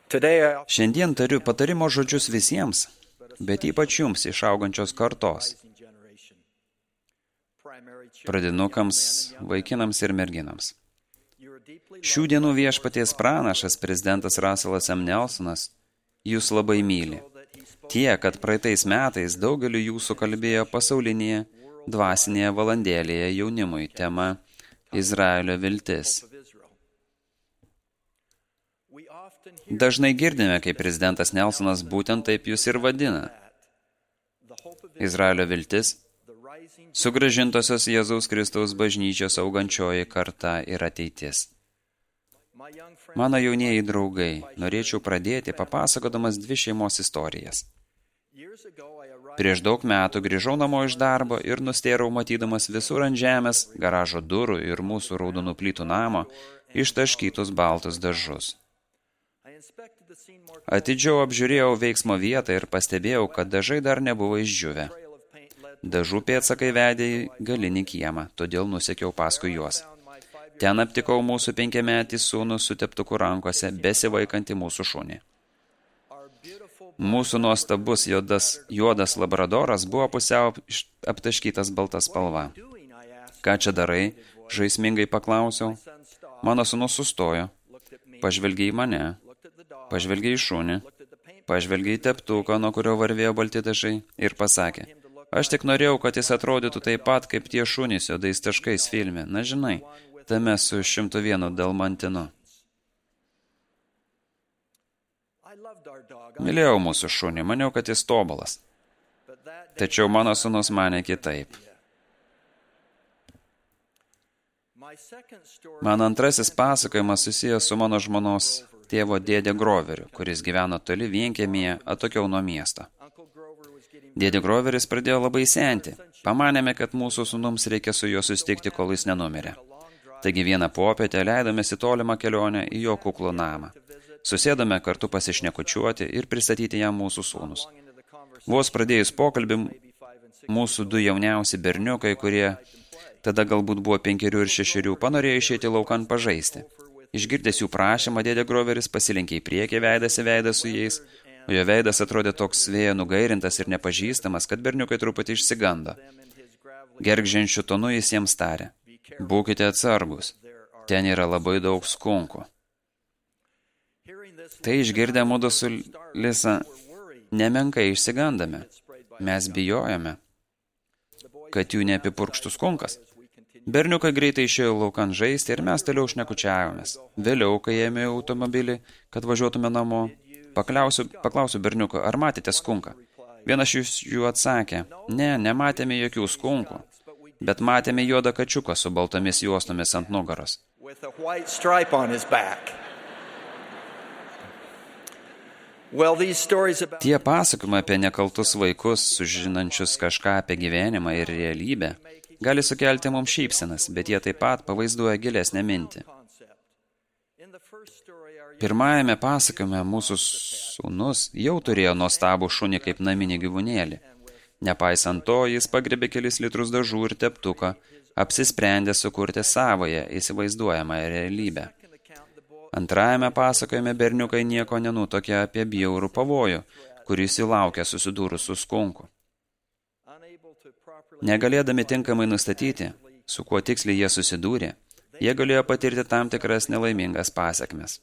Šiandien tariu patarimo žodžius visiems, bet ypač jums iš augančios kartos, pradinukams, vaikinams ir merginams. Šių dienų viešpaties pranašas, prezidentas Russellas M. Nelsonas, jūs labai myli. Tie, kad praeitais metais daugeliu jūsų kalbėjo pasaulinėje dvasinėje valandėlėje jaunimui tema Izraelio viltis. Dažnai girdime, kaip prezidentas Nelsonas būtent taip jūs ir vadina. Izraelio viltis, sugrąžintosios Jėzaus Kristaus bažnyčios augančioji karta ir ateitis. Mano jaunieji draugai, norėčiau pradėti papasakodamas 2 šeimos istorijas. Prieš daug metų grįžau namo iš darbo ir nustėrau matydamas visur ant žemės, garažo durų ir mūsų raudonų plytų namo ištaškytus baltus dažus. Atidžiau apžiūrėjau veiksmo vietą ir pastebėjau, kad dažai dar nebuvo išdžiūvę. Dažų pėdsakai vedė į galinį kiemą, todėl nusekiau paskui juos. Ten aptikau mūsų 5-metį sūnų su teptuku rankose, besivaikantį mūsų šunį. Mūsų nuostabus juodas labradoras buvo pusiau aptaškytas balta spalva. Ką čia darai? Žaismingai paklausiau. Mano sūnus sustojo, pažvelgė į mane, pažvelgė į šunį, pažvelgė į teptuką, nuo kurio varvėjo balti dažai ir pasakė, aš tik norėjau, kad jis atrodytų taip pat, kaip tie šunys juodais taškais filme. Na žinai, tame su 101 dalmantinu. Mylėjau mūsų šunį, maniau, kad jis tobulas. Tačiau mano sūnus manė kitaip. Mano antrasis pasakojimas susijęs su mano žmonos tėvo dėdė Groveriu, kuris gyveno toli vienkiemyje, atokiau nuo miesto. Dėdė Groveris pradėjo labai senti. Pamanėme, kad mūsų sūnums reikia su juo susitikti, kol jis nenumirė. Taigi vieną popietę leidomės į tolimą kelionę į jo kuklų namą. Susėdome kartu pasišnekučiuoti ir pristatyti jam mūsų sūnus. Vos pradėjus pokalbį, mūsų 2 jauniausi berniukai, kurie tada galbūt buvo 5 ir 6, panorėjo išėti laukan pažaisti. Išgirdęs jų prašymą, dėdė Groveris pasilenkė į priekį veidas į veidą su jais, o jo veidas atrodė toks vėjo nugairintas ir nepažįstamas, kad berniukai truputį išsigando. Gergžiančiu tonu jis jiems tarė, būkite atsargus, ten yra labai daug skunkų. Tai išgirdę mudu su Lisa nemenkai išsigandame. Mes bijojame, kad jų neapipurkštų skunkas. Berniukai greitai išėjo laukan žaisti ir mes toliau šnekučiavomės. Vėliau, kai ėmė automobilį, kad važiuotume namo, paklausiu berniuko, ar matėte skunką? Vienas jų atsakė, ne, nematėme jokių skunkų, bet matėme juodą kačiuką su baltomis juostomis ant nugaros. Tie pasakojimai apie nekaltus vaikus, sužinančius kažką apie gyvenimą ir realybę, gali sukelti mums šypsenas, bet jie taip pat pavaizduoja gilesnę mintį. Pirmajame pasakojime mūsų sūnus jau turėjo nuostabų šunį kaip naminį gyvūnėlį. Nepaisant to, jis pagrebė kelis litrus dažų ir teptuką, apsisprendė sukurti savoje įsivaizduojamą realybę. Antrajame pasakojime berniukai nieko nenutokė apie bjaurų pavojų, kuris įlaukė susidūrus su skunku. Negalėdami tinkamai nustatyti, su kuo tiksliai jie susidūrė, jie galėjo patirti tam tikras nelaimingas pasekmes.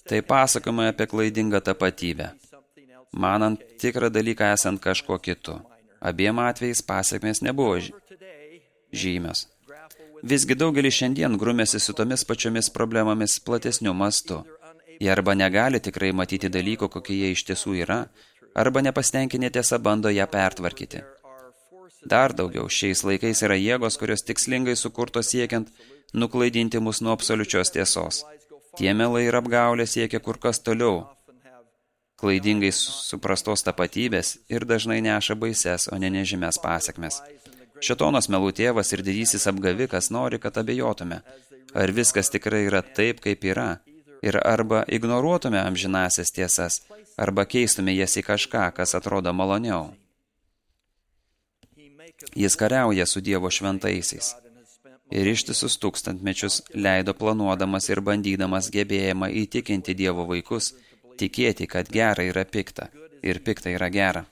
Tai pasakojama apie klaidingą tapatybę, manant tikrą dalyką esant kažkuo kitu. Abiem atvejais pasekmės nebuvo žymios. Visgi daugelis šiandien grumėsi su tomis pačiomis problemomis platesniu mastu. Jie arba negali tikrai matyti dalykų, kokie jie iš tiesų yra, arba nepastenkinė tiesa bando ją pertvarkyti. Dar daugiau, šiais laikais yra jėgos, kurios tikslingai sukurtos siekiant nuklaidinti mus nuo absoliučios tiesos. Tie melai ir apgaulė siekia kur kas toliau, klaidingai suprastos tapatybės ir dažnai neša baises, o ne nežymės pasekmes. Šėtonas melų tėvas ir didysis apgavikas nori, kad abejotume, ar viskas tikrai yra taip, kaip yra, ir arba ignoruotume amžinasias tiesas, arba keistume jas į kažką, kas atrodo maloniau. Jis kariauja su Dievo šventaisiais. ir ištisus tūkstantmečius leido planuodamas ir bandydamas gebėjimą įtikinti Dievo vaikus, tikėti, kad gera yra pikta ir pikta yra gera.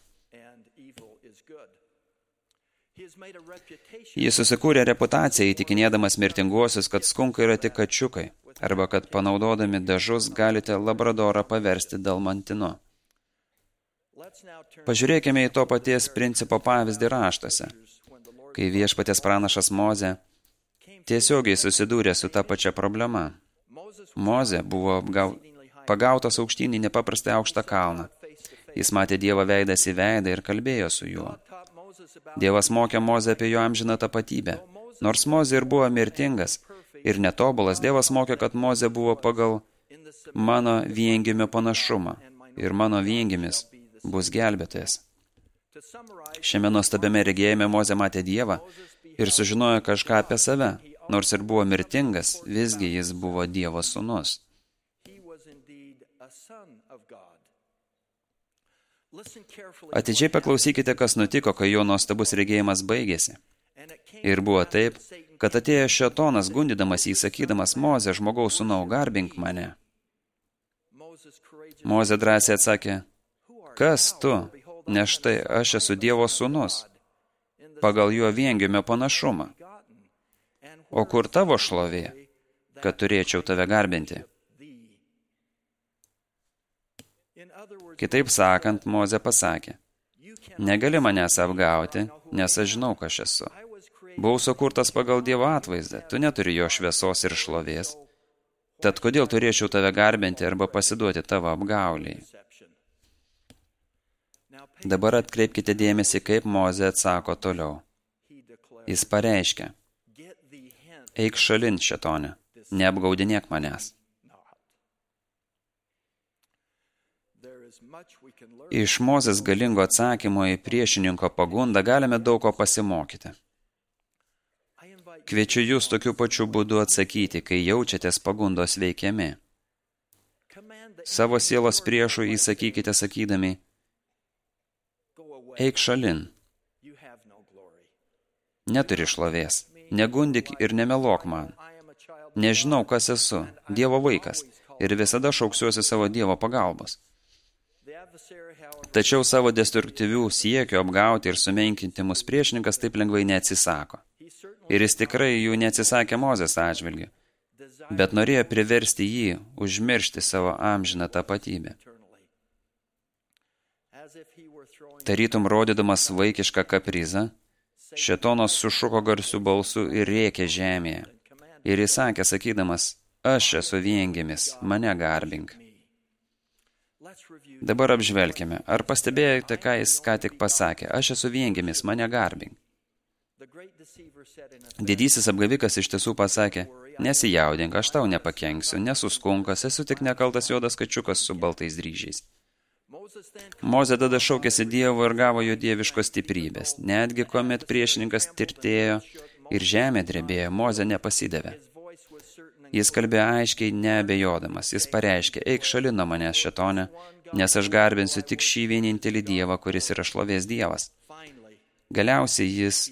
Jis susikūrė reputaciją įtikinėdamas mirtinguosius, kad skunkai yra tik kačiukai, arba kad panaudodami dažus galite labradorą paversti dalmantinu. Pažiūrėkime į to paties principo pavyzdį raštuose, kai viešpaties pranašas Mozė tiesiogiai susidūrė su ta pačia problema. Mozė buvo pagautas aukštyn į nepaprastai aukštą kalną. Jis matė Dievą veidas į veidą ir kalbėjo su juo. Dievas mokė Mozę apie jo amžiną tapatybę. Nors Mozė ir buvo mirtingas ir netobulas, Dievas mokė, kad Mozė buvo pagal mano viengimio panašumą ir mano viengimis bus gelbėtojas. Šiame nuostabiame regėjime Mozė matė Dievą ir sužinojo kažką apie save. Nors ir buvo mirtingas, visgi jis buvo Dievo sūnus. Atidžiai paklausykite, kas nutiko, kai jo nuostabus regėjimas baigėsi. Ir buvo taip, kad atėjo šėtonas gundydamas jį, sakydamas, Mozė, žmogaus sūnau, garbink mane. Mozė drąsiai atsakė, kas tu? Nes štai aš esu Dievo sūnus, pagal jo viengimio panašumą. O kur tavo šlovė, kad turėčiau tave garbinti? Kitaip sakant, Mozė pasakė, negali manęs apgauti, nes aš žinau, kas esu. Buvau sukurtas pagal Dievo atvaizdą, tu neturi jo šviesos ir šlovės. Tad kodėl turėčiau tave garbinti arba pasiduoti tavo apgauliai? Dabar atkreipkite dėmesį, kaip Mozė atsako toliau. Jis pareiškia, eik šalin, šėtone, neapgaudinėk manęs. Iš Mozės galingo atsakymo į priešininko pagundą galime daug ko pasimokyti. Kviečiu jūs tokiu pačiu būdu atsakyti, kai jaučiatės pagundos veikiami. Savo sielos priešų įsakykite sakydami, eik šalin. Neturi šlovės, negundik ir nemeluok man. Nežinau, kas esu, Dievo vaikas, ir visada šauksiuosi savo Dievo pagalbos. Tačiau savo destruktyvių siekių apgauti ir sumenkinti mus priešininkas taip lengvai neatsisako. Ir jis tikrai jų neatsisakė Mozės atžvilgiu, bet norėjo priversti jį užmiršti savo amžiną tapatybę. Tarytum rodydamas vaikišką kaprizą, šėtonas sušuko garsiu balsu ir rėkė žemėje. Ir jis sakė, sakydamas, aš esu viengimis, mane garbink. Dabar apžvelkime, ar pastebėjote, ką jis ką tik pasakė, aš esu viengimis, mane garbink. Didysis apgavikas iš tiesų pasakė, nesijaudink, aš tau nepakenksiu, nesu skunkas, esu tik nekaltas juodas kačiukas su baltais dryžiais. Mozė tada šaukėsi Dievo ir gavo jo dieviškos stiprybės. Netgi kuomet priešininkas tirtėjo ir žemė drebėjo, Mozė nepasidavė. Jis kalbėjo aiškiai, neabejodamas. Jis pareiškė, eik šalin nuo manęs, šėtone, nes aš garbinsiu tik šį vienintelį Dievą, kuris yra šlovės Dievas. Galiausiai jis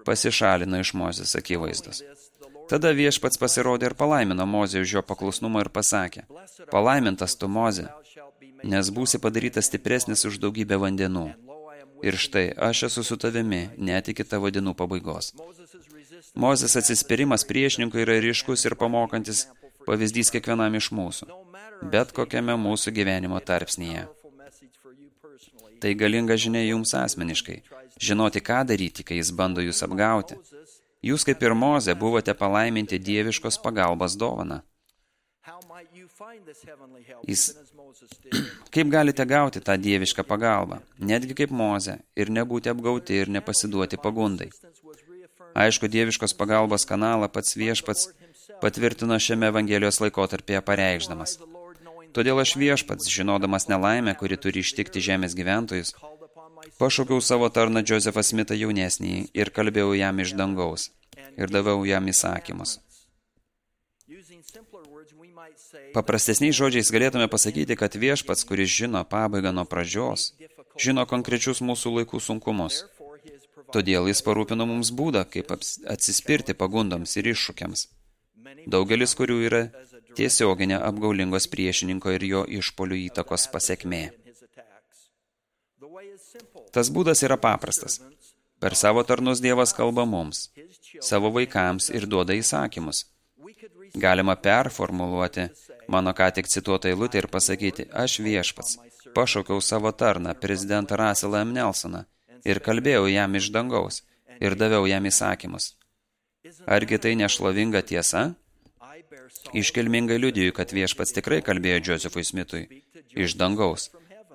pasišalino iš Mozės akivaizdos. Tada viešpats pasirodė ir palaimino Mozę už jo paklusnumą ir pasakė, palaimintas tu, Mozė, nes būsi padarytas stipresnis už daugybę vandenų. Ir štai, aš esu su tavimi, net iki tavo dienų pabaigos. Mozės atsispyrimas priešininkui yra ryškus ir pamokantis pavyzdys kiekvienam iš mūsų, bet kokiame mūsų gyvenimo tarpsnyje. Tai galinga žinia jums asmeniškai, žinoti, ką daryti, kai jis bando jūs apgauti. Jūs, kaip ir Mozė, buvote palaiminti dieviškos pagalbos dovaną. Kaip galite gauti tą dievišką pagalbą, netgi kaip Mozė, ir nebūti apgauti ir nepasiduoti pagundai? Aišku, dieviškos pagalbos kanalą pats viešpats patvirtino šiame Evangelijos laikotarpyje pareikšdamas. Todėl aš viešpats, žinodamas nelaimę, kuri turi ištikti žemės gyventojus, pašaukiau savo tarną Džozefą Smitą jaunesnįjį ir kalbėjau jam iš dangaus ir daviau jam įsakymus. Paprastesniais žodžiais galėtume pasakyti, kad viešpats, kuris žino pabaigą nuo pradžios, žino konkrečius mūsų laikų sunkumus. Todėl jis parūpino mums būdą, kaip atsispirti pagundoms ir iššūkiams, daugelis kurių yra tiesioginė apgaulingos priešininko ir jo išpolių įtakos pasekmė. Tas būdas yra paprastas. Per savo tarnus Dievas kalba mums, savo vaikams ir duoda įsakymus. Galima performuluoti mano ką tik cituotą eilutę ir pasakyti, aš viešpats, pašaukiau savo tarną, prezidentą Russellą M. Nelsoną, ir kalbėjau jam iš dangaus, ir daviau jam įsakymus. Argi tai nešlovinga tiesa? Iškilmingai liudiju, kad viešpats tikrai kalbėjo Josephui Smithui iš dangaus,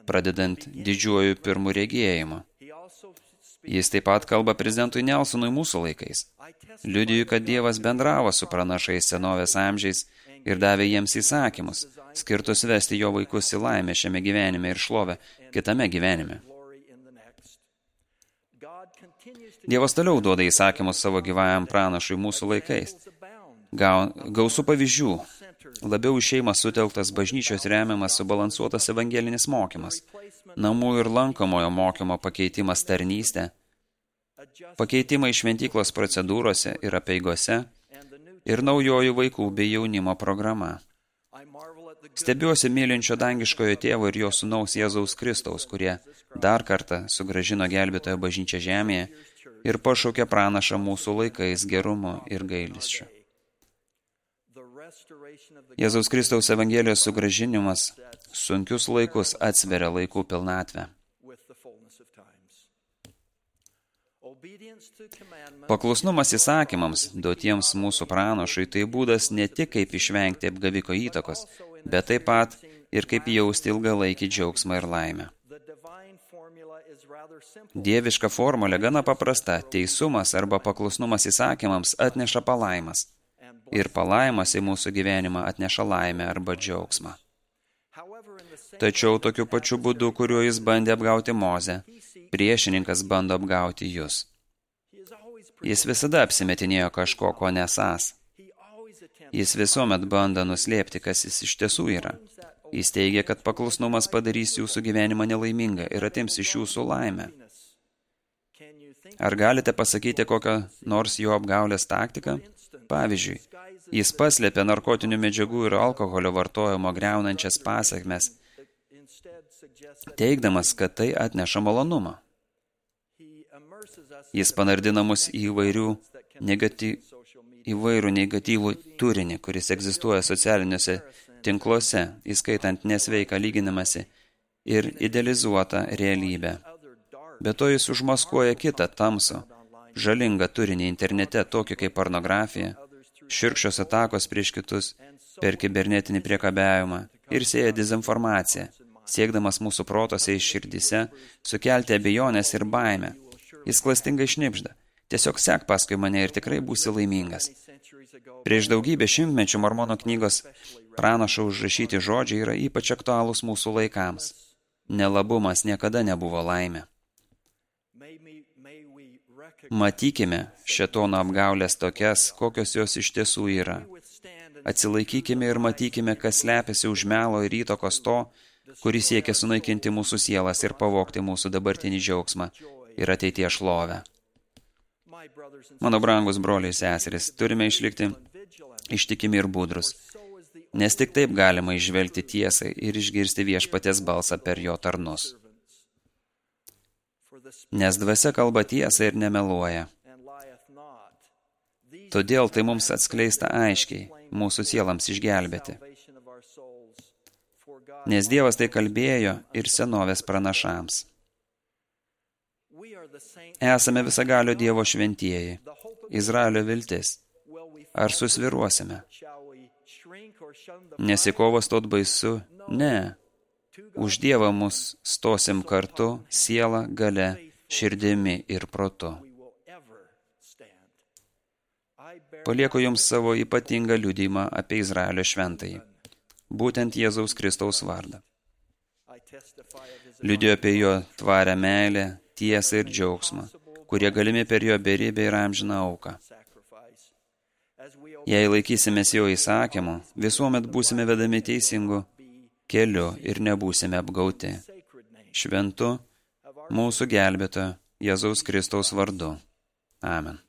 pradedant didžiuoju pirmu regėjimu. Jis taip pat kalba prezidentui Nelsonui mūsų laikais. Liudiju, kad Dievas bendravo su pranašais senovės amžiais ir davė jiems įsakymus, skirtus vesti jo vaikus į laimę šiame gyvenime ir šlovę kitame gyvenime. Dievas toliau duoda įsakymus savo gyvajam pranašui mūsų laikais. Gausų pavyzdžių. Labiau į šeimą sutelktas bažnyčios remiamas subalansuotas evangelinis mokymas, namų ir lankomojo mokymo pakeitimas tarnystė, pakeitimai šventyklos procedūrose ir apeigose ir naujoji vaikų bei jaunimo programa. Stebiuosi mylinčio dangiškojo tėvo ir jo sūnaus Jėzaus Kristaus, kurie dar kartą sugrąžino gelbėtojo bažnyčią žemėje ir pašaukė pranašą mūsų laikais gerumu ir gailesčiu. Jėzaus Kristaus Evangelijos sugrąžinimas sunkius laikus atsveria laikų pilnatvę. Paklusnumas įsakymams, duotiems mūsų pranašui, tai būdas ne tik kaip išvengti apgaviko įtakos, bet taip pat ir kaip jausti ilgalaikį džiaugsmą ir laimę. Dieviška formulė gana paprasta. Teisumas arba paklusnumas įsakymams atneša palaimas. Ir palaimas į mūsų gyvenimą atneša laimę arba džiaugsmą. Tačiau tokiu pačiu būdu, kuriuo jis bandė apgauti Mozę, priešininkas bando apgauti jus. Jis visada apsimetinėjo kažko, ko nesąs. Jis visuomet bando nuslėpti, kas jis iš tiesų yra. Jis teigia, kad paklusnumas padarys jūsų gyvenimą nelaimingą ir atims iš jūsų laimę. Ar galite pasakyti kokią nors jo apgaulės taktiką? Pavyzdžiui, jis paslėpė narkotinių medžiagų ir alkoholio vartojimo griaunančias pasekmes, teigdamas, kad tai atneša malonumą. Jis panardina mus į įvairų negatyvų turinį, kuris egzistuoja socialiniuose tinkluose, įskaitant nesveiką lyginimąsi ir idealizuotą realybę. Be to jis užmaskuoja kitą tamsų, žalingą turinį internete, tokį kaip pornografija, šiurkščios atakos prieš kitus per kibernetinį priekabiavimą ir sėja dezinformaciją, siekdamas mūsų protose ir širdyse sukelti abejonės ir baimę. Jis klastingai šnibžda. Tiesiog sek paskui mane ir tikrai būsi laimingas. Prieš daugybę šimtmečių Mormono knygos pranašo užrašyti žodžiai yra ypač aktualūs mūsų laikams. Nelabumas niekada nebuvo laimė. Matykime šėtono apgaulės tokias, kokios jos iš tiesų yra. Atsilaikykime ir matykime, kas slepiasi už melo ir įtakos to, kuris siekia sunaikinti mūsų sielas ir pavogti mūsų dabartinį džiaugsmą ir ateities šlovę. Mano brangus broliai ir seserys, turime išlikti ištikimi ir budrus, nes tik taip galima išvelgti tiesą ir išgirsti viešpaties balsą per jo tarnus. Nes dvasia kalba tiesą ir nemeluoja. Todėl tai mums atskleista aiškiai, mūsų sielams išgelbėti. Nes Dievas tai kalbėjo ir senovės pranašams. Esame visagalio Dievo šventieji, Izraelio viltis. Ar susviruosime? Nesikovos stot baisu? Ne. Už Dievą mus stosim kartu, siela, galia, širdimi ir protu. Palieku jums savo ypatingą liudijimą apie Izraelio šventąjį, būtent Jėzaus Kristaus vardą. Liudijo apie jo tvarę meilę, tiesą ir džiaugsmą, kurie galimi per jo beribę ir amžiną auką. Jei laikysimės jo įsakymų, visuomet būsime vedami teisingu keliu ir nebūsime apgauti. Šventu mūsų gelbėtojo Jėzaus Kristaus vardu. Amen.